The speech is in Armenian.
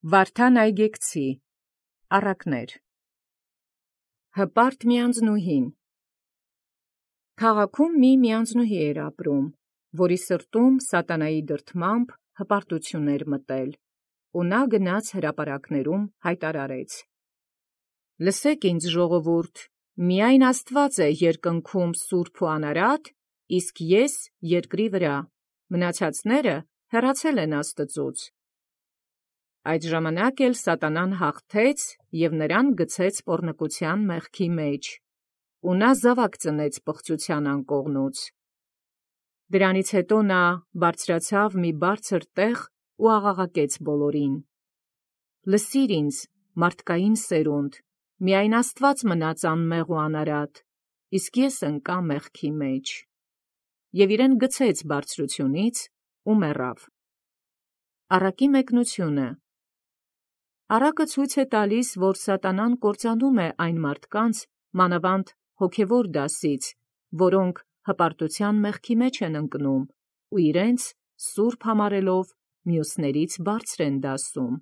Վարդան այգեկցի, առակներ։ Հպարտ միանձնուհին։ Քաղաքում միանձնուհի էր ապրում, որի սրտում սատանայի դրդմամբ հպարտություն էր մտել, ու նա գնաց հրապարակներում հայտարարեց. «Լսեք ինձ ժողովուրդ, միայն Աստված է երկնքում սուրբ ու անարատ, իսկ ես երկրի վրա, մնացածները հեռացել են Աստծուց»։ Այդ ժամանակ էլ սատանան հաղթեց և նրան գցեց պոռնկության մեղքի մեջ, ու նա զաւակ ծնեց պղծության անկողնուց։ Դրանից հետո նա բարձրացավ մի բարձր տեղ ու աղաղակեց բոլորին. «Լսիր ինձ, մարդկային սերունդ, միայն Աստված մնաց անմեղ ու անարատ, իսկ ես ընկա մեղքի մեջ»։ Եւ իրեն գցեց բարձրությունից ու մեռավ։ Առակի մեկնությունը։ Առակը ցույց է տալիս, որ սատանան կործանում է այն մարդկանց, մանավանդ հոգևոր դասից, որոնք հպարտության մեղքի մեջ են ընկնում ու իրենց սուրբ համարելով մյուսներից բարձր են դասում։